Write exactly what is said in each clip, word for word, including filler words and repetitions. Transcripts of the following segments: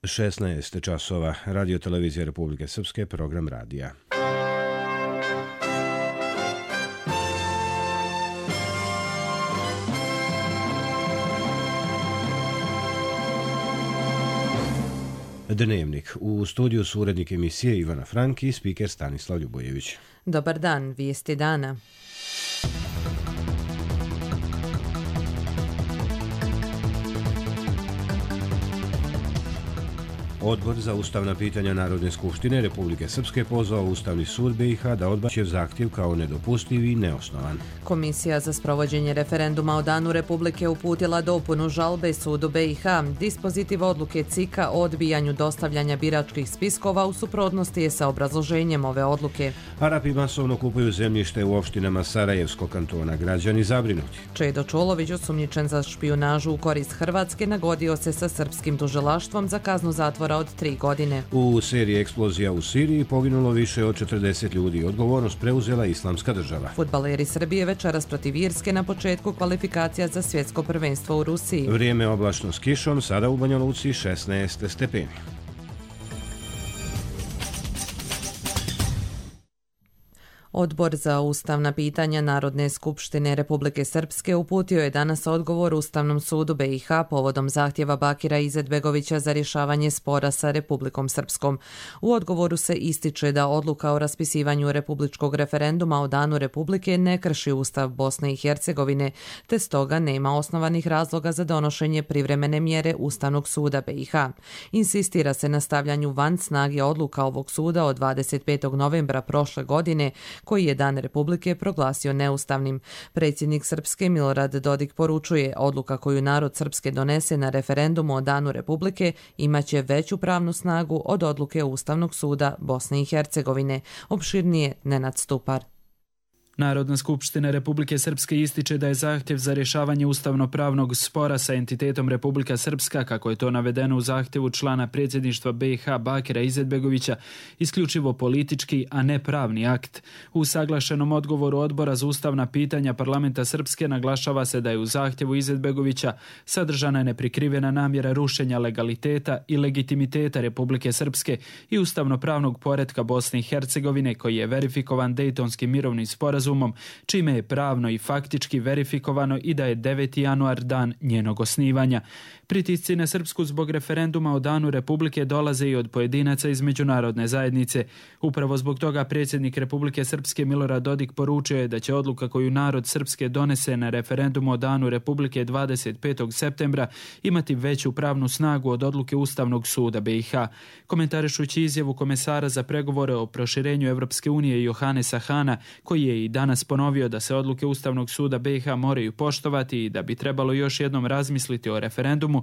šesnaest časova, Radio televizija Republike Srpske, program radija. Dnevnik. U studiju su urednik emisije Ivana Frank i spiker Stanislav Ljubojević. Dobar dan, vijesti dana. Odbor za ustavna pitanja Narodne skupštine Republike Srpske pozvao Ustavni sud B i H da odbaci zahtjev kao nedopustiv i neosnovan. Komisija za sprovođenje referenduma o Danu Republike uputila dopunu žalbe sudu B i H. Dispozitiv odluke C I K-a o odbijanju dostavljanja biračkih spiskova u suprotnosti je sa obrazloženjem ove odluke. Arapi masovno kupuju zemljište u opštinama Sarajevskog kantona. Građani zabrinuti. Čedo Čolović, osumnjičen za špijunažu u korist Hrvatske, nagodio se sa srpskim tužilaštvom za kaznu zatvora od tri godine. U seriji eksplozija u Siriji poginulo više od četrdeset ljudi. Odgovornost preuzela Islamska država. Fudbaleri Srbije večeras protiv Irske na početku kvalifikacija za svjetsko prvenstvo u Rusiji. Vrijeme oblačno s kišom, sada u Banja Luci šesnaest stepeni. Odbor za ustavna pitanja Narodne skupštine Republike Srpske uputio je danas odgovor Ustavnom sudu B i H povodom zahtjeva Bakira Izetbegovića za rješavanje spora sa Republikom Srpskom. U odgovoru se ističe da odluka o raspisivanju republičkog referenduma o Danu Republike ne krši Ustav Bosne i Hercegovine, te stoga nema osnovanih razloga za donošenje privremene mjere Ustavnog suda B i H. Insistira se na stavljanju van snage odluka ovog suda od dvadeset petog novembra prošle godine, koji je Dan Republike proglasio neustavnim. Predsjednik Srpske Milorad Dodik poručuje, odluka koju narod Srpske donese na referendumu o Danu Republike imaće veću pravnu snagu od odluke Ustavnog suda Bosne i Hercegovine. Opširnije Nenad Stupar. Narodna skupština Republike Srpske ističe da je zahtjev za rješavanje ustavno-pravnog spora sa entitetom Republika Srpska, kako je to navedeno u zahtjevu člana predsjedništva B i H Bakira Izetbegovića, isključivo politički, a ne pravni akt. U usaglašenom odgovoru Odbora za ustavna pitanja Parlamenta Srpske naglašava se da je u zahtjevu Izetbegovića sadržana neprikrivena namjera rušenja legaliteta i legitimiteta Republike Srpske i ustavno-pravnog poretka Bosne i Hercegovine, koji je verifikovan Dejtonskim mirovnim sporazumom, čime je pravno i faktički verifikovano i da je deveti januar dan njenog osnivanja. Pritisci na Srpsku zbog referenduma o Danu Republike dolaze i od pojedinaca iz međunarodne zajednice. Upravo zbog toga predsjednik Republike Srpske Milorad Dodik poručio je da će odluka koju narod Srpske donese na referendumu o Danu Republike dvadeset petog septembra imati veću pravnu snagu od odluke Ustavnog suda B i H. Komentarišući izjavu komesara za pregovore o proširenju Evropske unije Johanesa Hana, koji je i danas ponovio da se odluke Ustavnog suda B i H moraju poštovati i da bi trebalo još jednom razmisliti o referendumu,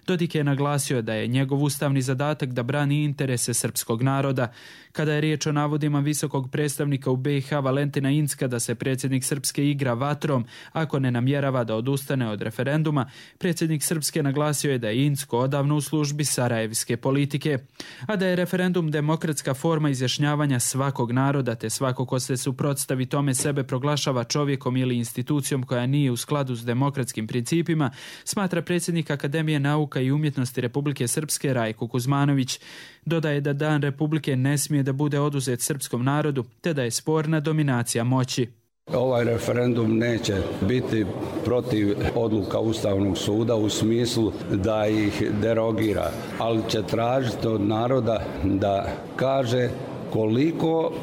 Dodik je naglasio da je njegov ustavni zadatak da brani interese srpskog naroda. Kada je riječ o navodima visokog predstavnika u B i H Valentina Incka da se predsjednik Srpske igra vatrom ako ne namjerava da odustane od referenduma, predsjednik Srpske naglasio je da je Incko odavno u službi sarajevske politike, a da je referendum demokratska forma izjašnjavanja svakog naroda, te svako ko se suprotstavi tome sebe proglašava čovjekom ili institucijom koja nije u skladu s demokratskim principima, smatra predsjednik Akademije nauka i umjetnosti Republike Srpske Rajko Kuzmanović. Dodaje da Dan Republike ne smije da bude oduzet srpskom narodu, te da je sporna dominacija moći. Ovaj referendum neće biti protiv odluka Ustavnog suda u smislu da ih derogira, ali će tražiti od naroda da kaže koliko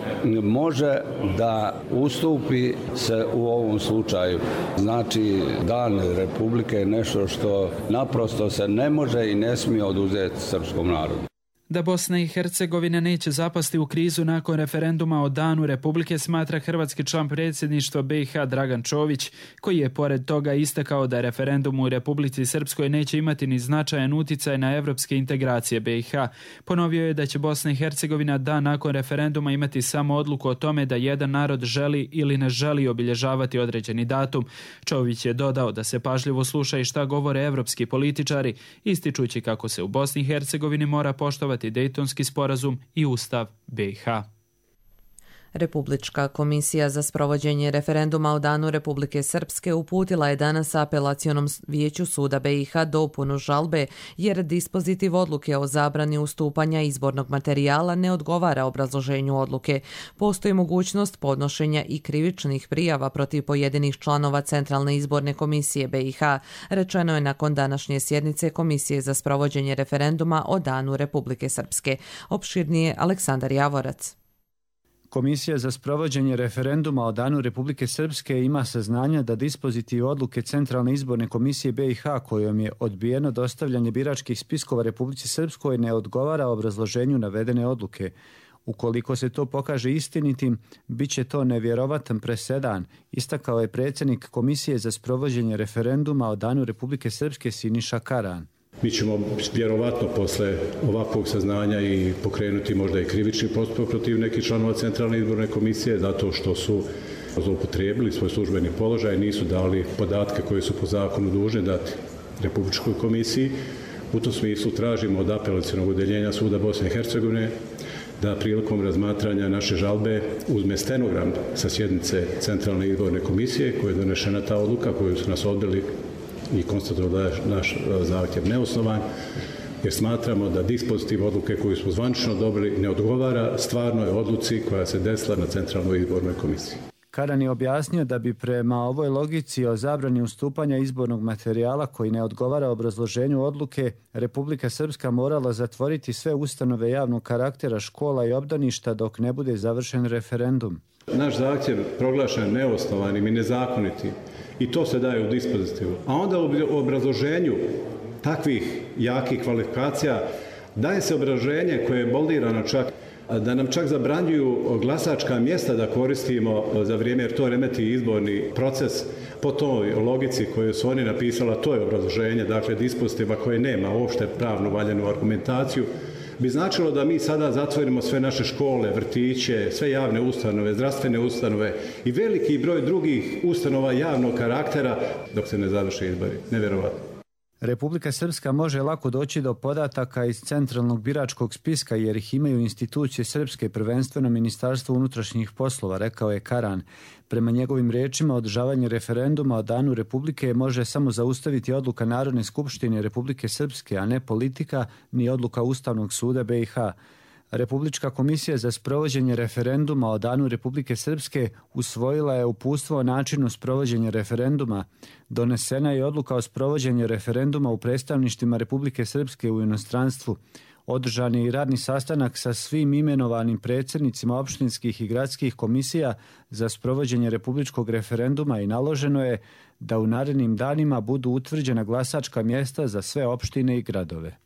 može da ustupi se u ovom slučaju. Znači, Dan Republike je nešto što naprosto se ne može i ne smije oduzeti srpskom narodu. Da Bosna i Hercegovina neće zapasti u krizu nakon referenduma o Danu Republike smatra hrvatski član predsjedništva B i H Dragan Čović, koji je pored toga istakao da referendum u Republici Srpskoj neće imati ni značajan uticaj na evropske integracije B i H. Ponovio je da će Bosna i Hercegovina dan nakon referenduma imati samo odluku o tome da jedan narod želi ili ne želi obilježavati određeni datum. Čović je dodao da se pažljivo sluša i šta govore evropski političari, ističući kako se u Bosni i Hercegovini mora poštovati Dejtonski sporazum i Ustav B i H. Republička komisija za sprovođenje referenduma o Danu Republike Srpske uputila je danas apelacionom vijeću suda be i ha dopunu žalbe jer dispozitiv odluke o zabrani ustupanja izbornog materijala ne odgovara obrazloženju odluke. Postoji mogućnost podnošenja i krivičnih prijava protiv pojedinih članova Centralne izborne komisije be i ha, rečeno je nakon današnje sjednice Komisije za sprovođenje referenduma o Danu Republike Srpske. Opširnije Aleksandar Javorac. Komisija za sprovođenje referenduma o Danu Republike Srpske ima saznanja da dispozitiv odluke Centralne izborne komisije be i ha kojom je odbijeno dostavljanje biračkih spiskova Republici Srpskoj ne odgovara obrazloženju navedene odluke. Ukoliko se to pokaže istinitim, bit će to nevjerovatan presedan, istakao je predsjednik Komisije za sprovođenje referenduma o Danu Republike Srpske Siniša Karan. Mi ćemo vjerovatno posle ovakvog saznanja i pokrenuti možda i krivični postupak protiv nekih članova Centralne izborne komisije zato što su zloupotrijebili svoj službeni položaj, nisu dali podatke koje su po zakonu dužni dati Republičkoj komisiji. U tom smislu tražimo od apelacionog odeljenja suda Bosne i Hercegovine da prilikom razmatranja naše žalbe uzme stenogram sa sjednice Centralne izborne komisije koje je donešena ta odluka koju su nas odbili i konstatovali da je naš zahtjev neosnovan, jer smatramo da dispozitiv odluke koju smo zvanično dobili ne odgovara stvarnoj odluci koja se desila na Centralnoj izbornoj komisiji. Karan je objasnio da bi prema ovoj logici o zabrani ustupanja izbornog materijala koji ne odgovara obrazloženju odluke, Republika Srpska morala zatvoriti sve ustanove javnog karaktera, škola i obdaništa dok ne bude završen referendum. Naš zahtjev proglašen neosnovanim i nezakonitim i to se daje u dispozitivu. A onda u obrazloženju takvih jakih kvalifikacija daje se obrazloženje koje je boldirano čak da nam čak zabranjuju glasačka mjesta da koristimo za vrijeme jer to remeti izborni proces po toj logici koju su oni napisala, to je obrazloženje, dakle dispozitiva koje nema uopšte pravnu valjanu argumentaciju, bi značilo da mi sada zatvorimo sve naše škole, vrtiće, sve javne ustanove, zdravstvene ustanove i veliki broj drugih ustanova javnog karaktera dok se ne završe izbori. Nevjerovatno. Republika Srpska može lako doći do podataka iz centralnog biračkog spiska jer ih imaju institucije srpske, prvenstveno Ministarstvo unutrašnjih poslova, rekao je Karan. Prema njegovim riječima, održavanje referenduma o Danu Republike može samo zaustaviti odluka Narodne skupštine Republike Srpske, a ne politika ni odluka Ustavnog suda be i ha. Republička komisija za sprovođenje referenduma o Danu Republike Srpske usvojila je uputstvo o načinu sprovođenja referenduma. Donesena je odluka o sprovođenju referenduma u predstavništvima Republike Srpske u inostranstvu. Održan je i radni sastanak sa svim imenovanim predsjednicima opštinskih i gradskih komisija za sprovođenje republičkog referenduma i naloženo je da u narednim danima budu utvrđena glasačka mjesta za sve opštine i gradove.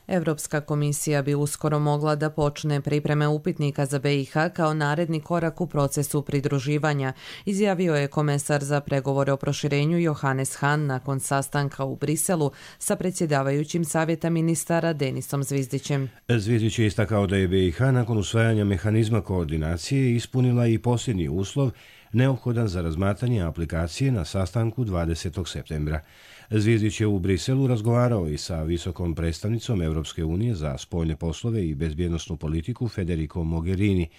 Europska komisija bi uskoro mogla da počne pripreme upitnika za be i ha kao naredni korak u procesu pridruživanja, izjavio je komesar za pregovore o proširenju Johannes Hahn nakon sastanka u Briselu sa predsjedavajućim savjeta ministara Denisom Zvizdićem. Zvizdić je istakao da je be i ha nakon usvajanja mehanizma koordinacije ispunila i posljednji uslov neophodan za razmatranje aplikacije na sastanku dvadesetog septembra. Zvizdić je u Briselu razgovarao i sa visokom predstavnicom Europske unije za spoljne poslove i bezbjednosnu politiku Federico Mogherini.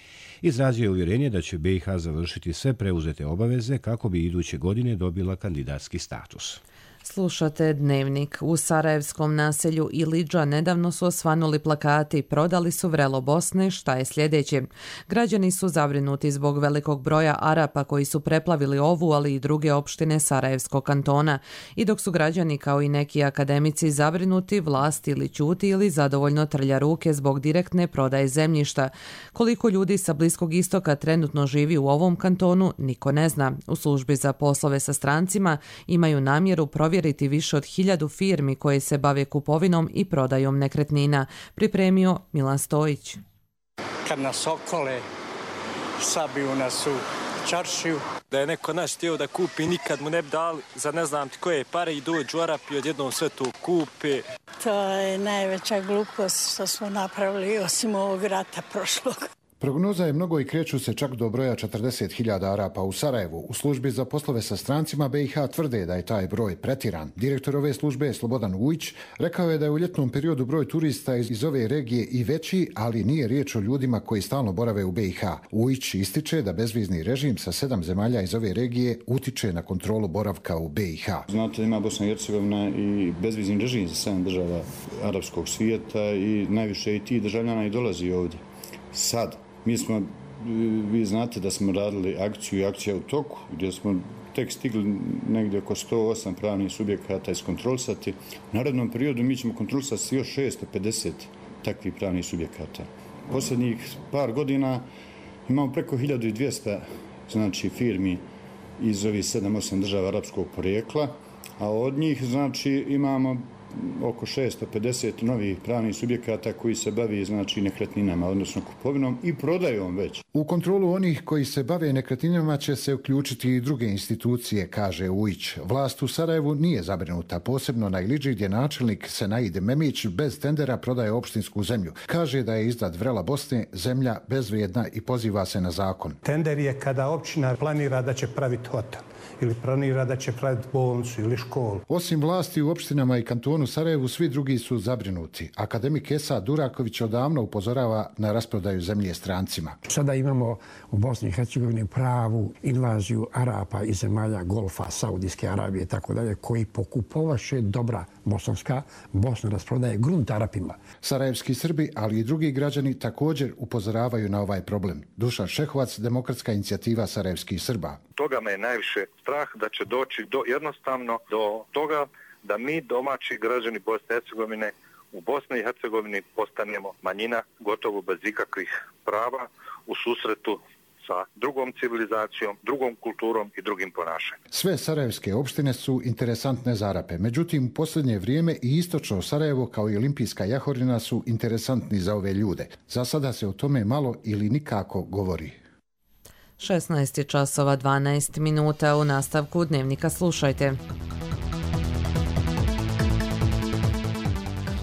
Izrazio je uvjerenje da će be i ha završiti sve preuzete obaveze kako bi iduće godine dobila kandidatski status. Slušate Dnevnik. U sarajevskom naselju Ilidža nedavno su osvanuli plakati "Prodali su vrelo Bosne, šta je sljedeće?". Građani su zabrinuti zbog velikog broja Arapa koji su preplavili ovu, ali i druge opštine Sarajevskog kantona. I dok su građani kao i neki akademici zabrinuti, vlast ili ćuti ili zadovoljno trlja ruke zbog direktne prodaje zemljišta. Koliko ljudi sa Bliskog istoka trenutno živi u ovom kantonu, niko ne zna. U službi za poslove sa strancima imaju namjeru provjeriti provjeriti više od hiljadu firmi koje se bave kupovinom i prodajom nekretnina, pripremio Milan Stojić. Kad nas okole, sabiju nas u čaršiju. Da je neko naš htio da kupi, nikad mu ne bi dali za ne znam ti koje pare i dođu Arapi odjednom sve to kupe. To je najveća glupost što smo napravili osim ovog rata prošlog. Prognoza je mnogo i kreću se čak do broja četrdeset hiljada Arapa u Sarajevu. U službi za poslove sa strancima B i H tvrde da je taj broj pretiran. Direktor ove službe Slobodan Ujić rekao je da je u ljetnom periodu broj turista iz, iz ove regije i veći, ali nije riječ o ljudima koji stalno borave u B i H. Ujić ističe da bezvizni režim sa sedam zemalja iz ove regije utiče na kontrolu boravka u B i H. Znate, ima Bosna i Hercegovina i bezvizni režim za sedam država arapskog svijeta i najviše i ti državljana i dolazi ovdje. Sad, mi smo, vi znate da smo radili akciju i akcija u toku, gdje smo tek stigli negdje oko sto osam pravnih subjekata iskontrolisati. U narednom periodu mi ćemo kontrolisati još šesto pedeset takvih pravnih subjekata. Posljednjih par godina imamo preko hiljadu dvjesto znači, firmi iz ovih sedam osam država arapskog porijekla, a od njih znači, imamo oko šesto pedeset novih pravnih subjekata koji se bavi znači nekretninama, odnosno kupovinom i prodajom već. U kontrolu onih koji se bave nekretninama će se uključiti i druge institucije, kaže Ujić. Vlast u Sarajevu nije zabrinuta, posebno na Iliđi gdje načelnik Senaid Memić bez tendera prodaje opštinsku zemlju. Kaže da je iznad vrela Bosne zemlja bezvrijedna i poziva se na zakon. Tender je kada općina planira da će praviti hotel ili planira da će praviti bolnicu ili školu. Osim vlasti u opštinama i kantonu Sarajevu, svi drugi su zabrinuti. Akademik Esad Duraković odavno upozorava na rasprodaju zemlje strancima. Sada imamo u Bosni i Hercegovini pravu invaziju Arapa iz zemalja Golfa, Saudijske Arabije i tako dalje, koji pokupovaše dobra bosanska, Bosna rasprodaje grunt Arapima. Sarajevski Srbi, ali i drugi građani također upozoravaju na ovaj problem. Dušan Šehovac, Demokratska inicijativa Sarajevskih Srba. Toga me je najviše strah da će doći do, jednostavno do toga da mi domaći građani Bosne i Hercegovine u Bosni i Hercegovini postanemo manjina gotovo bez ikakvih prava u susretu sa drugom civilizacijom, drugom kulturom i drugim ponašanjem. Sve sarajevske opštine su interesantne za Arape. Međutim, u posljednje vrijeme i istočno Sarajevo kao i Olimpijska Jahorina su interesantni za ove ljude. Za sada se o tome malo ili nikako govori. šesnaest časova dvanaest minuta. U nastavku Dnevnika slušajte.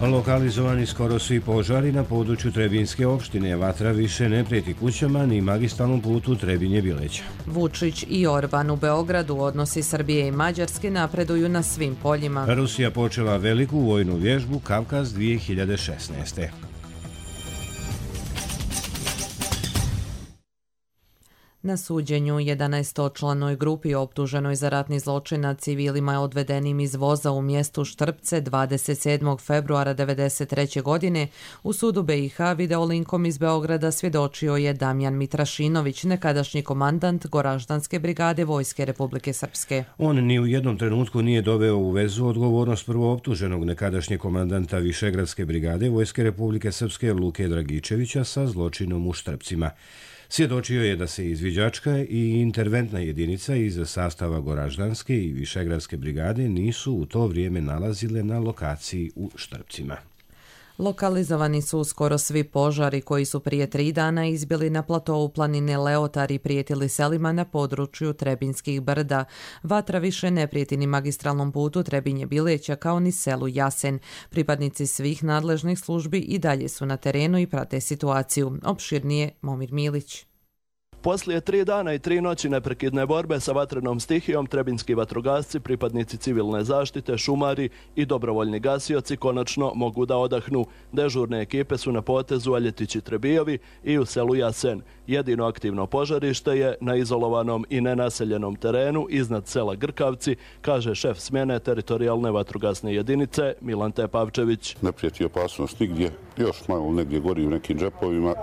Lokalizovani skoro svi požari na području Trebinjske opštine. Vatra više ne prijeti kućama ni magistralnom putu Trebinje-Bileća. Vučić i Orban u Beogradu, odnosi Srbije i Mađarske napreduju na svim poljima. Rusija počela veliku vojnu vježbu Kavkaz dvije hiljade šesnaeste. Na suđenju jedanaestočlanoj grupi optuženoj za ratni zločin nad civilima odvedenim iz voza u mjestu Štrpce dvadeset sedmog februara devedeset treće. godine u sudu B i H videolinkom iz Beograda svjedočio je Damjan Mitrašinović, nekadašnji komandant Goraždanske brigade Vojske Republike Srpske. On ni u jednom trenutku nije doveo u vezu odgovornost prvooptuženog nekadašnjeg komandanta Višegradske brigade Vojske Republike Srpske Luke Dragičevića sa zločinom u Štrpcima. Svjedočio je da se izviđačka i interventna jedinica iz sastava Goraždanske i Višegradske brigade nisu u to vrijeme nalazile na lokaciji u Štrpcima. Lokalizovani su skoro svi požari koji su prije tri dana izbili na platovu planine Leotar i prijetili selima na području Trebinskih brda. Vatra više ne prijeti ni magistralnom putu Trebinje-Bileća kao ni selu Jasen. Pripadnici svih nadležnih službi i dalje su na terenu i prate situaciju. Opširnije Momir Milić. Poslije tri dana i tri noći neprekidne borbe sa vatrenom stihijom, trebinski vatrogasci, pripadnici civilne zaštite, šumari i dobrovoljni gasioci konačno mogu da odahnu. Dežurne ekipe su na potezu Aljetići Trebijovi i u selu Jasen. Jedino aktivno požarište je na izolovanom i nenaseljenom terenu iznad sela Grkavci, kaže šef smjene teritorijalne vatrogasne jedinice Milan Tepavčević. Ne prijeti opasnost nigdje, još malo negdje gori u nekim džepovima,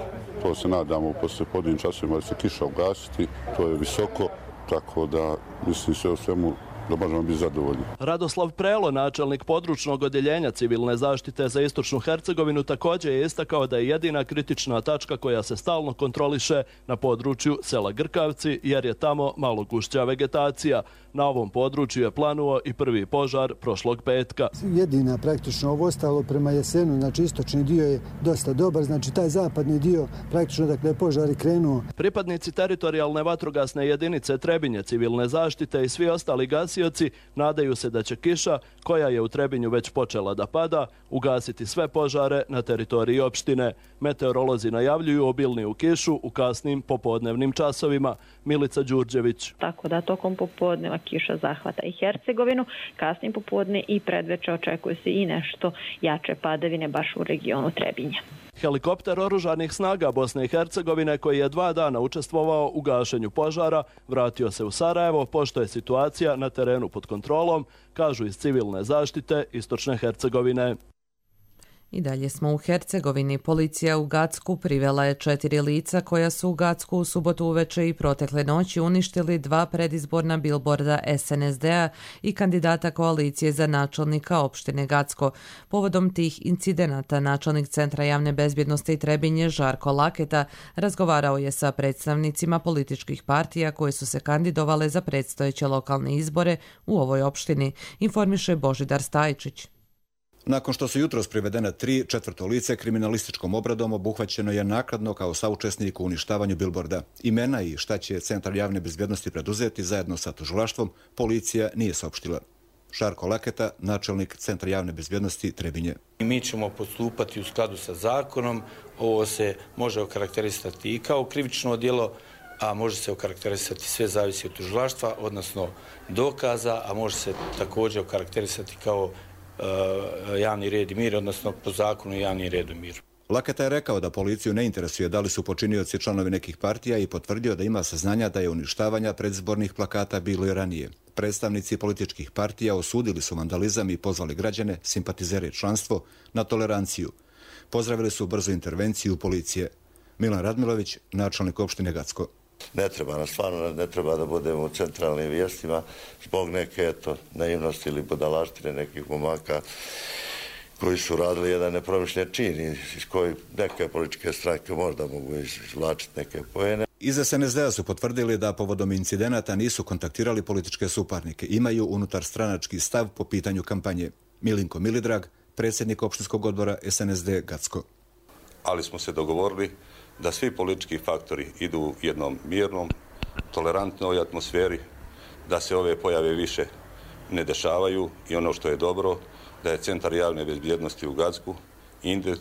to se nadamo posle podnim časovima da se kiša ugasiti, to je visoko, tako da mislim sve u svemu da možemo biti zadovoljni. Radoslav Prelo, načelnik područnog odjeljenja civilne zaštite za istočnu Hercegovinu, također je istakao da je jedina kritična tačka koja se stalno kontroliše na području sela Grkavci, jer je tamo malo gušća vegetacija. Na ovom području je planuo i prvi požar prošlog petka. Jedina praktično ovo ostalo prema jesenu, znači istočni dio je dosta dobar, znači taj zapadni dio praktično dakle je požar i krenuo. Pripadnici teritorijalne vatrogasne jedinice Trebinje, civilne zaštite i svi ostali gasioci nadaju se da će kiša, koja je u Trebinju već počela da pada, ugasiti sve požare na teritoriji opštine. Meteorolozi najavljuju obilniju kišu u kasnim popodnevnim časovima. Milica Đurđević. Tako da tokom popodneva kiša zahvata i Hercegovinu, kasnim popodne i predveče očekuje se i nešto jače padavine baš u regionu Trebinja. Helikopter oružanih snaga Bosne i Hercegovine, koji je dva dana učestvovao u gašenju požara, vratio se u Sarajevo, pošto je situacija na terenu pod kontrolom, kažu iz civilne zaštite Istočne Hercegovine. I dalje smo u Hercegovini. Policija u Gacku privela je četiri lica koja su u Gacku u subotu uveče i protekle noći uništili dva predizborna bilborda S N S D-a i kandidata koalicije za načelnika opštine Gacko. Povodom tih incidenata načelnik Centra javne bezbjednosti i Trebinje Žarko Laketa razgovarao je sa predstavnicima političkih partija koje su se kandidovale za predstojeće lokalne izbore u ovoj opštini, informiše Božidar Stajčić. Nakon što su jutros privedene tri, četvrto lice kriminalističkom obradom obuhvaćeno je nakladno kao saučesnik u uništavanju bilborda. Imena i šta će Centar javne bezbjednosti preduzeti zajedno sa tužilaštvom, policija nije saopštila. Žarko Laketa, načelnik Centra javne bezbjednosti Trebinje. Mi ćemo postupati u skladu sa zakonom. Ovo se može okarakterisati i kao krivično djelo, a može se okarakterisati, sve zavisi od tužilaštva, odnosno dokaza, a može se također okarakterisati kao javni red i mir, odnosno po zakonu javni red i mir. Laketa je rekao da policiju ne interesuje da li su počinioci članovi nekih partija i potvrdio da ima saznanja da je uništavanja predizbornih plakata bilo i ranije. Predstavnici političkih partija osudili su vandalizam i pozvali građane, simpatizere i članstvo, na toleranciju. Pozdravili su brzu intervenciju policije. Milan Radmilović, načelnik opštine Gacko. Ne treba nas, stvarno ne treba da budemo u centralnim vijestima zbog neke eto, naivnosti ili budalaštine nekih momaka koji su radili jedan nepromišljen čin iz koji neke političke stranke možda mogu izvlačiti neke poene. Iz S N S D-a su potvrdili da povodom incidenata nisu kontaktirali političke suparnike. Imaju unutar stranački stav po pitanju kampanje. Milinko Milidrag, predsjednik opštinskog odbora S N S D Gacko. Ali smo se dogovorili da svi politički faktori idu u jednom mirnom, tolerantnoj atmosferi, da se ove pojave više ne dešavaju i ono što je dobro, da je Centar javne bezbjednosti u Gacku inde, uh,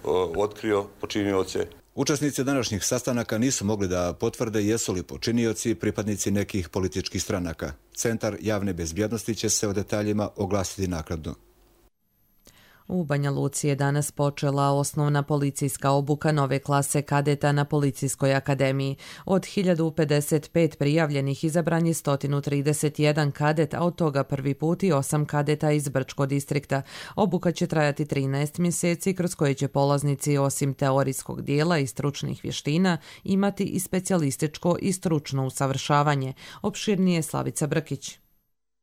uh, otkrio počinioce. Učesnici današnjih sastanaka nisu mogli da potvrde jesu li počinioci pripadnici nekih političkih stranaka. Centar javne bezbjednosti će se o detaljima oglasiti naknadno. U Banja Luci je danas počela osnovna policijska obuka nove klase kadeta na Policijskoj akademiji. Od hiljadu pedeset pet prijavljenih izabran je sto trideset jedan kadet, a od toga prvi put i osam kadeta iz Brčko distrikta. Obuka će trajati trinaest mjeseci, kroz koje će polaznici osim teorijskog dijela i stručnih vještina imati i specijalističko i stručno usavršavanje. Opširnije Slavica Brkić.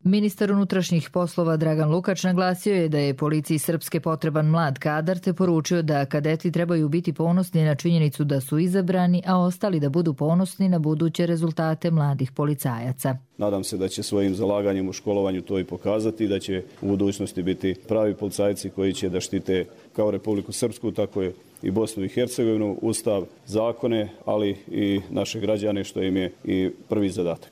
Ministar unutrašnjih poslova Dragan Lukač naglasio je da je policiji Srpske potreban mlad kadar, te poručio da kadeti trebaju biti ponosni na činjenicu da su izabrani, a ostali da budu ponosni na buduće rezultate mladih policajaca. Nadam se da će svojim zalaganjem u školovanju to i pokazati i da će u budućnosti biti pravi policajci koji će da štite kao Republiku Srpsku, tako je i Bosnu i Hercegovinu, ustav, zakone, ali i naše građane, što im je i prvi zadatak.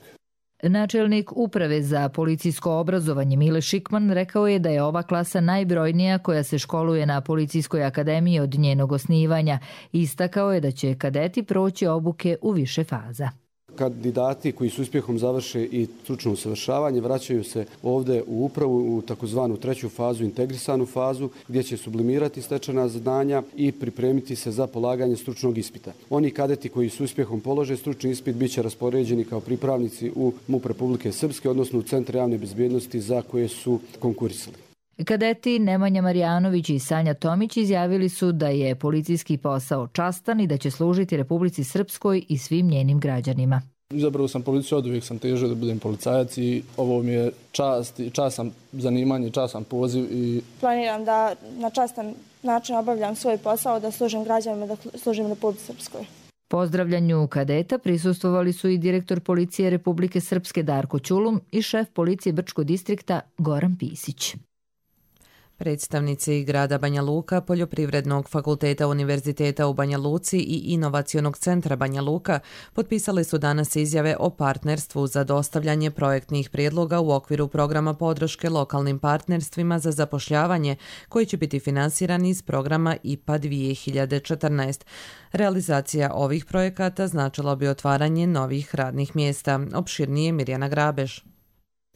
Načelnik Uprave za policijsko obrazovanje Mile Šikman rekao je da je ova klasa najbrojnija koja se školuje na Policijskoj akademiji od njenog osnivanja. Istakao je da će kadeti proći obuke u više faza. Kandidati koji su uspjehom završe i stručno usavršavanje vraćaju se ovdje u upravu u takozvanu treću fazu, integrisanu fazu, gdje će sublimirati stečena znanja i pripremiti se za polaganje stručnog ispita. Oni kadeti koji su uspjehom polože stručni ispit bit će raspoređeni kao pripravnici u MUP Republike Srpske, odnosno u Centar javne bezbjednosti za koje su konkurisali. Kadeti Nemanja Marjanović i Sanja Tomić izjavili su da je policijski posao častan i da će služiti Republici Srpskoj i svim njenim građanima. Izabrao sam policiju, od uvijek sam težio da budem policajac i ovo mi je čast, častan zanimanje, častan poziv. I... Planiram da na častan način obavljam svoj posao, da služim građanima, da služim Republici Srpskoj. Pozdravljanju kadeta prisustvovali su i direktor policije Republike Srpske Darko Ćulum i šef policije Brčkog distrikta Goran Pisić. Predstavnici grada Banja Luka, Poljoprivrednog fakulteta Univerziteta u Banja Luci i Inovacionog centra Banja Luka potpisali su danas izjave o partnerstvu za dostavljanje projektnih prijedloga u okviru programa podrške lokalnim partnerstvima za zapošljavanje koji će biti finansirani iz programa I P A dvije hiljade četrnaest. Realizacija ovih projekata značila bi otvaranje novih radnih mjesta. Opširnije Mirjana Grabež.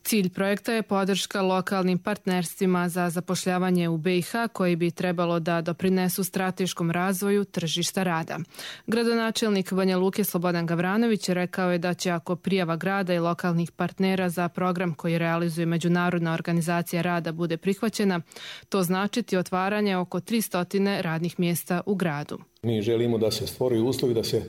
Cilj projekta je podrška lokalnim partnerstvima za zapošljavanje u B i H koji bi trebalo da doprinesu strateškom razvoju tržišta rada. Gradonačelnik Banja Luke Slobodan Gavranović rekao je da će ako prijava grada i lokalnih partnera za program koji realizuje Međunarodna organizacija rada bude prihvaćena, to značiti otvaranje oko tristo radnih mjesta u gradu. Mi želimo da se stvori uslovi da se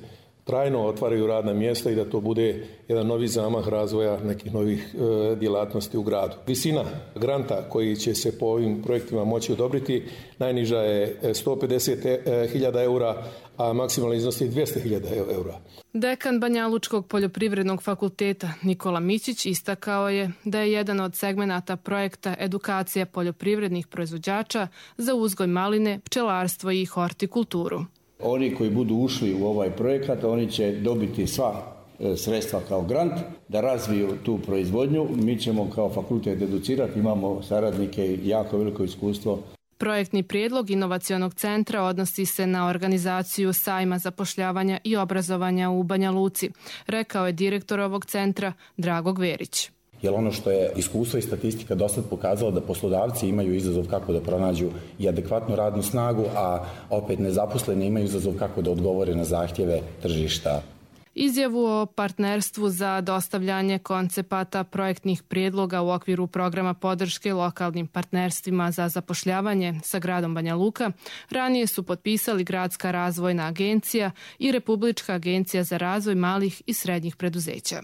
trajno otvaraju radna mjesta i da to bude jedan novi zamah razvoja nekih novih e, djelatnosti u gradu. Visina granta koji će se po ovim projektima moći odobriti najniža je sto pedeset hiljada eura, a maksimalno iznos je dvjesto hiljada eura. Dekan Banjalučkog poljoprivrednog fakulteta Nikola Mićić istakao je da je jedan od segmenata projekta edukacija poljoprivrednih proizvođača za uzgoj maline, pčelarstvo i hortikulturu. Oni koji budu ušli u ovaj projekat, oni će dobiti sva sredstva kao grant da razviju tu proizvodnju. Mi ćemo kao fakultet educirati, imamo saradnike i jako veliko iskustvo. Projektni prijedlog Inovacionog centra odnosi se na organizaciju sajma zapošljavanja i obrazovanja u Banja Luci, rekao je direktor ovog centra Drago Gverić. Jer ono što je iskustvo i statistika dosad pokazalo da poslodavci imaju izazov kako da pronađu i adekvatnu radnu snagu, a opet nezaposleni imaju izazov kako da odgovore na zahtjeve tržišta. Izjavu o partnerstvu za dostavljanje koncepata projektnih prijedloga u okviru programa podrške lokalnim partnerstvima za zapošljavanje sa gradom Banja Luka ranije su potpisali Gradska razvojna agencija i Republička agencija za razvoj malih i srednjih preduzeća.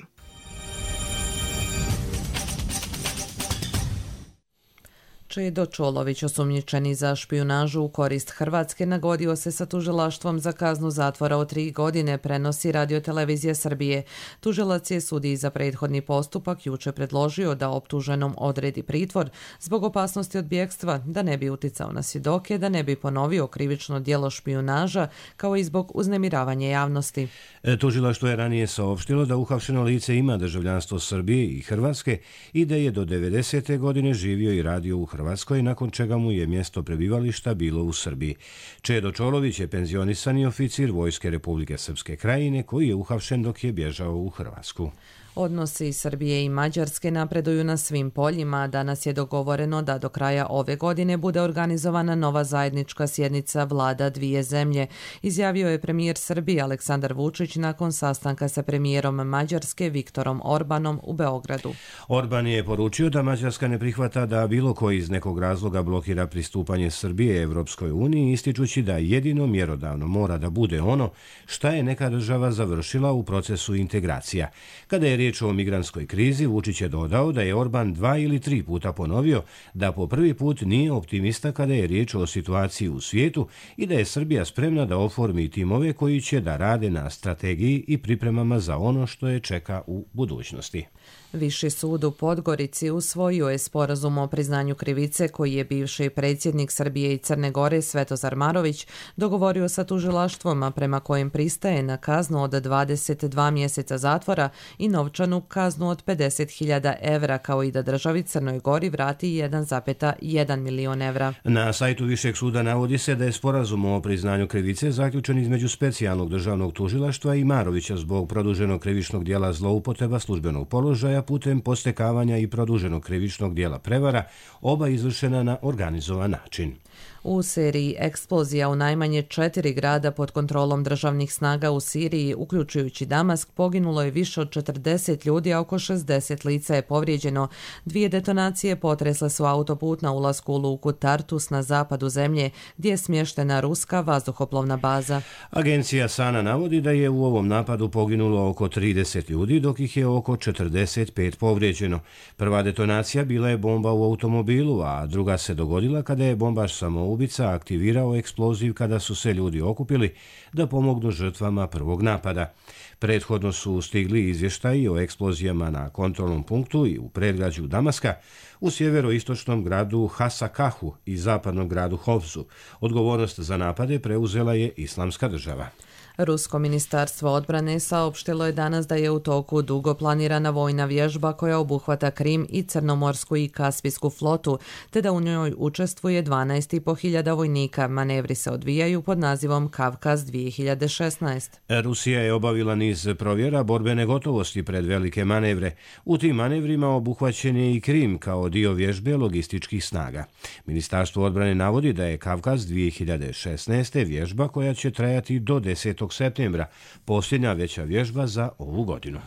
Čedo Čolović, osumnjičeni za špijunažu u korist Hrvatske, nagodio se sa tužilaštvom za kaznu zatvora od tri godine, prenosi Radiotelevizija Srbije. Tužilac je sudiji za prethodni postupak juče predložio da optuženom odredi pritvor zbog opasnosti od bjegstva, da ne bi uticao na svjedoke, da ne bi ponovio krivično djelo špijunaža, kao i zbog uznemiravanja javnosti. E, tužilaštvo je ranije saopštilo da uhapšeno lice ima državljanstvo Srbije i Hrvatske i da je do devedesete godine živio i radio u Hrvatskoj. Hrvatskoj, nakon čega mu je mjesto prebivališta bilo u Srbiji. Čedo Čolović je penzionisani oficir Vojske Republike Srpske Krajine koji je uhapšen dok je bježao u Hrvatsku. Odnosi Srbije i Mađarske napreduju na svim poljima. Danas je dogovoreno da do kraja ove godine bude organizovana nova zajednička sjednica vlada dvije zemlje, izjavio je premijer Srbije Aleksandar Vučić nakon sastanka sa premijerom Mađarske Viktorom Orbanom u Beogradu. Orban je poručio da Mađarska ne prihvata da bilo koji iz nekog razloga blokira pristupanje Srbije Evropskoj uniji, ističući da jedino mjerodavno mora da bude ono šta je neka država završila u procesu integracija. Kada je riječ o migrantskoj krizi, Vučić je dodao da je Orban dva ili tri puta ponovio da po prvi put nije optimista kada je riječ o situaciji u svijetu i da je Srbija spremna da oformi timove koji će da rade na strategiji i pripremama za ono što je čeka u budućnosti. Viši sud u Podgorici usvojio je sporazum o priznanju krivice koji je bivši predsjednik Srbije i Crne Gore Svetozar Marović dogovorio sa tužilaštvom, a prema kojem pristaje na kaznu od dvadeset dva mjeseca zatvora i novčanu kaznu od pedeset hiljada evra, kao i da državi Crnoj Gori vrati jedan zarez jedan milion evra. Na sajtu Višeg suda navodi se da je sporazum o priznanju krivice zaključen između specijalnog državnog tužilaštva i Marovića zbog produženog krivičnog dijela zloupotreba službenog položaja putem postekavanja i produženog krivičnog dijela prevara, oba izvršena na organizovan način. U seriji eksplozija u najmanje četiri grada pod kontrolom državnih snaga u Siriji, uključujući Damask, poginulo je više od četrdeset ljudi, a oko šezdeset lica je povrijeđeno. Dvije detonacije potresle su autoput na ulasku u luku Tartus na zapadu zemlje, gdje je smještena ruska vazduhoplovna baza. Agencija Sana navodi da je u ovom napadu poginulo oko trideset ljudi, dok ih je oko četrdeset pet povrijeđeno. Prva detonacija bila je bomba u automobilu, a druga se dogodila kada je bombaš samoubica Dubica aktivirao eksploziv kada su se ljudi okupili da pomognu žrtvama prvog napada. Prethodno su stigli izvještaji o eksplozijama na kontrolnom punktu i u predgrađu Damaska, u sjeveroistočnom gradu Hasakahu i zapadnom gradu Hovzu. Odgovornost za napade preuzela je Islamska država. Rusko ministarstvo odbrane saopštilo je danas da je u toku dugo planirana vojna vježba koja obuhvata Krim i Crnomorsku i Kaspijsku flotu, te da u njoj učestvuje dvanaest i po hiljada vojnika. Manevri se odvijaju pod nazivom Kavkaz dvije hiljade šesnaest. Rusija je obavila niz provjera borbene gotovosti pred velike manevre. U tim manevrima obuhvaćen je i Krim kao dio vježbe logističkih snaga. Ministarstvo odbrane navodi da je Kavkaz dvije hiljade šesnaest. vježba koja će trajati do desetog septembra, posljednja veća vježba za ovu godinu.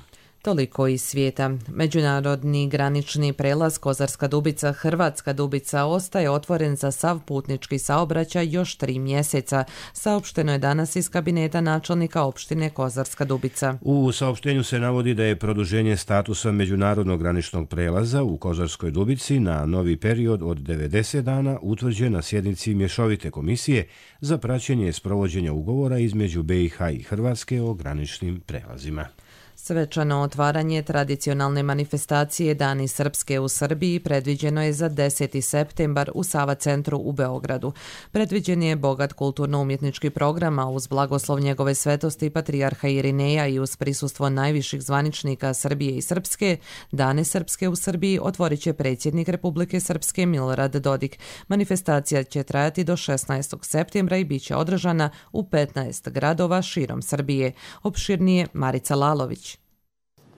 Toliko iz svijeta. Međunarodni granični prelaz Kozarska Dubica Hrvatska Dubica ostaje otvoren za sav putnički saobraćaj još tri mjeseca. Saopšteno je danas iz kabineta načelnika opštine Kozarska Dubica. U saopštenju se navodi da je produženje statusa međunarodnog graničnog prelaza u Kozarskoj Dubici na novi period od devedeset dana utvrđen na sjednici mješovite komisije za praćenje sprovođenja ugovora između B i H i Hrvatske o graničnim prelazima. Svečano otvaranje tradicionalne manifestacije Dani Srpske u Srbiji predviđeno je za deseti septembar u Sava centru u Beogradu. Predviđen je bogat kulturno-umjetnički program, a uz blagoslov njegove svetosti patrijarha Irineja i uz prisustvo najviših zvaničnika Srbije i Srpske, Dane Srpske u Srbiji otvorit će predsjednik Republike Srpske Milorad Dodik. Manifestacija će trajati do šesnaestog septembra i bit će održana u petnaest gradova širom Srbije. Opširnije Marica Lalović.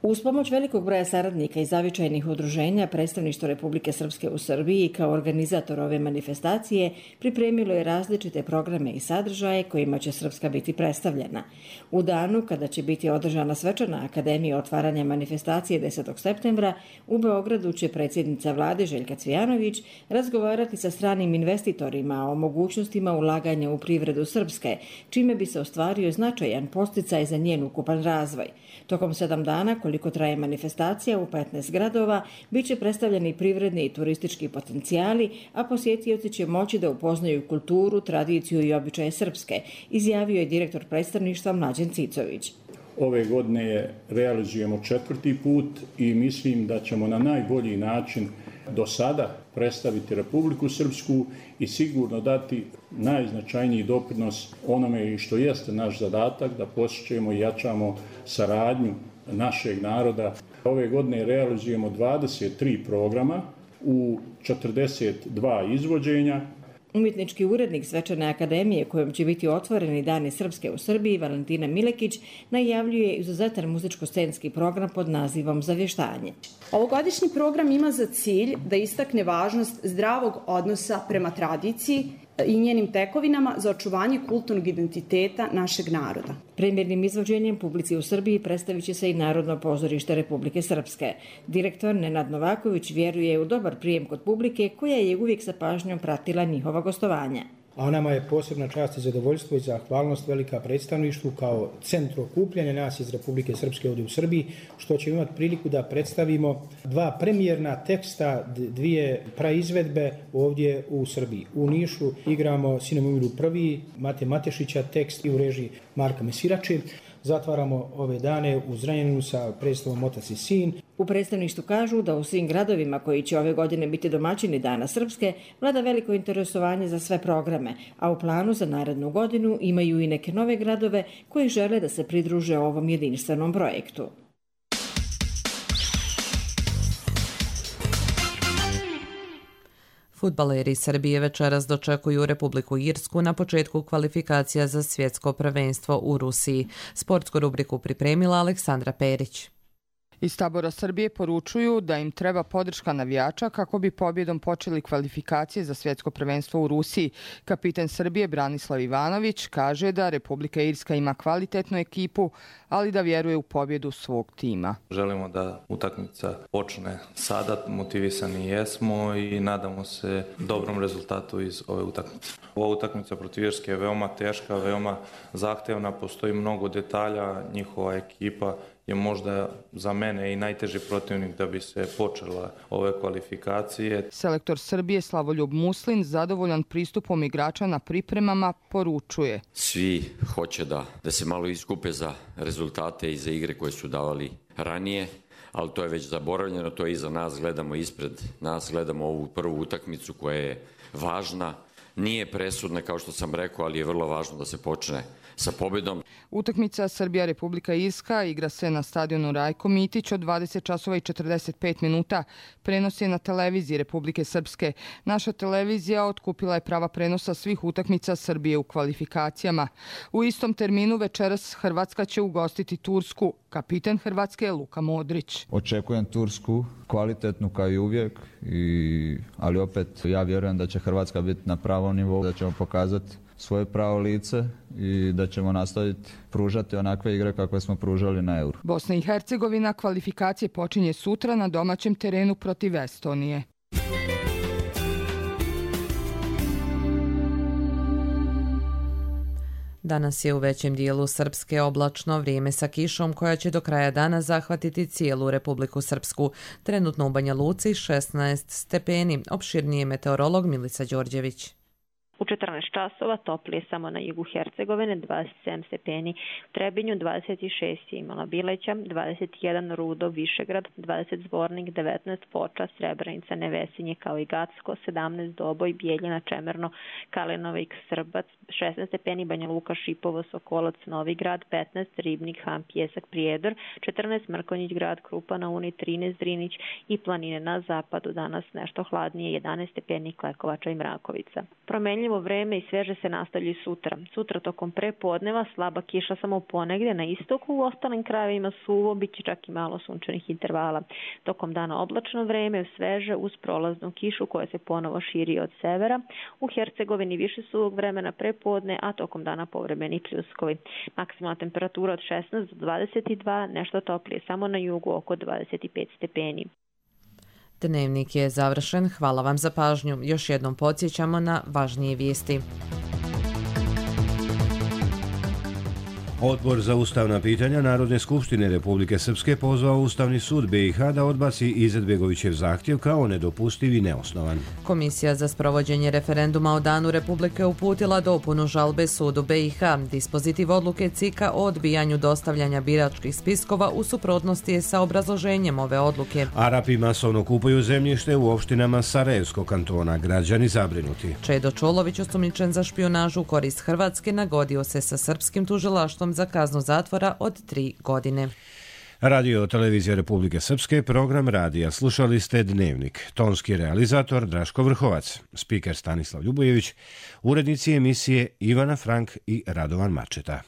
Uz pomoć velikog broja saradnika i zavičajnih udruženja, predstavništvo Republike Srpske u Srbiji kao organizator ove manifestacije pripremilo je različite programe i sadržaje kojima će Srpska biti predstavljena. U danu kada će biti održana svečana akademija otvaranja manifestacije desetog septembra, u Beogradu će predsjednica vlade Željka Cvijanović razgovarati sa stranim investitorima o mogućnostima ulaganja u privredu Srpske, čime bi se ostvario značajan podsticaj za njen ukupan razvoj. Tokom sedam dana, koliko traje manifestacija u petnaest gradova, bit će predstavljeni privredni i turistički potencijali, a posjetioci će moći da upoznaju kulturu, tradiciju i običaje Srpske, izjavio je direktor predstavništva Mlađan Cicović. Ove godine je realizujemo četvrti put i mislim da ćemo na najbolji način do sada predstaviti Republiku Srpsku i sigurno dati najznačajniji doprinos onome što jeste naš zadatak, da posjećujemo i jačamo saradnju našeg naroda. Ove godine realizujemo dvadeset tri programa u četrdeset dva izvođenja. Umjetnički urednik Svečane akademije kojom će biti otvoreni Dani Srpske u Srbiji, Valentina Milekić, najavljuje izuzetan muzičko-scenski program pod nazivom Zavještanje. Ovogodišnji program ima za cilj da istakne važnost zdravog odnosa prema tradiciji i njenim tekovinama za očuvanje kulturnog identiteta našeg naroda. Premijernim izvođenjem publici u Srbiji predstavit će se i Narodno pozorište Republike Srpske. Direktor Nenad Novaković vjeruje u dobar prijem kod publike koja je uvijek sa pažnjom pratila njihova gostovanja. A nama je posebna čast i zadovoljstvo i zahvalnost velika predstavništvu kao centru okupljanja nas iz Republike Srpske ovdje u Srbiji, što ćemo imati priliku da predstavimo dva premijerna teksta, dvije praizvedbe ovdje u Srbiji. U Nišu igramo Sinem umiru prvi, Mate Matešića tekst i u režiji Marka Mesirače. Zatvaramo ove dane u Zrenjaninu sa predstavom Otac i sin. U predstavništvu kažu da u svim gradovima koji će ove godine biti domaćini Dana Srpske vlada veliko interesovanje za sve programe, a u planu za narednu godinu imaju i neke nove gradove koji žele da se pridruže ovom jedinstvenom projektu. Fudbaleri Srbije večeras dočekuju Republiku Irsku na početku kvalifikacija za svjetsko prvenstvo u Rusiji. Sportsku rubriku pripremila Aleksandra Perić. Iz tabora Srbije poručuju da im treba podrška navijača kako bi pobjedom počeli kvalifikacije za svjetsko prvenstvo u Rusiji. Kapitan Srbije Branislav Ivanović kaže da Republika Irska ima kvalitetnu ekipu, ali da vjeruje u pobjedu svog tima. Želimo da utakmica počne sada, motivisani jesmo i nadamo se dobrom rezultatu iz ove utakmice. Ova utakmica protiv Irske je veoma teška, veoma zahtevna, postoji mnogo detalja, njihova ekipa je možda za mene i najteži protivnik da bi se počela ove kvalifikacije. Selektor Srbije Slavoljub Muslin zadovoljan pristupom igrača na pripremama poručuje. Svi hoće da, da se malo iskupe za rezultate i za igre koje su davali ranije, ali to je već zaboravljeno, to je iza nas, gledamo ispred nas, gledamo ovu prvu utakmicu koja je važna, nije presudna kao što sam rekao, ali je vrlo važno da se počne sa pobjedom. Utakmica Srbija-Republika Irska igra se na stadionu Rajko Mitić od dvadeset časova i četrdeset pet minuta. Prenos je na televiziji Republike Srpske. Naša televizija otkupila je prava prenosa svih utakmica Srbije u kvalifikacijama. U istom terminu večeras Hrvatska će ugostiti Tursku. Kapiten Hrvatske je Luka Modrić. Očekujem Tursku, kvalitetnu kao i uvijek, i, ali opet ja vjerujem da će Hrvatska biti na pravom nivou, da ćemo pokazati svoje pravo lice i da ćemo nastaviti pružati onakve igre kakve smo pružali na Euro. Bosna i Hercegovina kvalifikacije počinje sutra na domaćem terenu protiv Estonije. Danas je u većem dijelu Srpske oblačno, vrijeme sa kišom koja će do kraja dana zahvatiti cijelu Republiku Srpsku. Trenutno u Banja Luci šesnaest stepeni. Opširnije meteorolog Milica Đorđević. U četrnaest časova toplije samo na jugu Hercegovine, dvadeset sedam stepeni, u Trebinju dvadeset šest je imala Bileća, dvadeset jedan Rudo, Višegrad, dvadeset Zvornik, devetnaest Foča, Srebrenica, Nevesinje kao i Gacko, sedamnaest Doboj, Bijeljina, Čemerno, Kalinovik, Srbac, šesnaest stepeni Banja Luka, Šipovo, Sokolac, Novigrad, petnaest Ribnik, Ham, Pjesak, Prijedor, četrnaest Mrkonjić Grad, Krupa na Uni, trinaest Drinić i planine na zapadu, danas nešto hladnije, jedanaest stepeni Klekovača i Mrakovica. Promenljivo vreme i sveže se nastavlja i sutra. Sutra tokom prepodneva slaba kiša samo ponegdje na istoku, u ostalim krajevima suvo, bit će čak i malo sunčanih intervala. Tokom dana oblačno vreme, sveže uz prolaznu kišu koja se ponovo širi od severa. U Hercegovini više suvog vremena prepodne, a tokom dana povremeni pljuskovi. Maksimalna temperatura od šesnaest do dvadeset dva, nešto toplije samo na jugu oko dvadeset pet stepeni. Dnevnik je završen. Hvala vam za pažnju. Još jednom podsjećamo na važnije vijesti. Odbor za ustavna pitanja Narodne skupštine Republike Srpske pozvao Ustavni sud B i H da odbaci Izetbegovićev zahtjev kao nedopustiv i neosnovan. Komisija za sprovođenje referenduma o Danu Republike uputila dopunu žalbe sudu B i H. Dispozitiv odluke C I K-a o odbijanju dostavljanja biračkih spiskova u suprotnosti je sa obrazloženjem ove odluke. Arapi masovno kupuju zemljište u opštinama Sarajevskog kantona. Građani zabrinuti. Čedo Čolović, osumnjičen za špijunažu u korist Hrvatske, nagodio se sa srpskim tužilaštvom za kaznu zatvora od tri godine. Radio Televizija Republike Srpske, program radija. Slušali ste Dnevnik. Tonski realizator Draško Vrhovac, spiker Stanislav Ljubojević, urednici emisije Ivana Frank i Radovan Mačeta.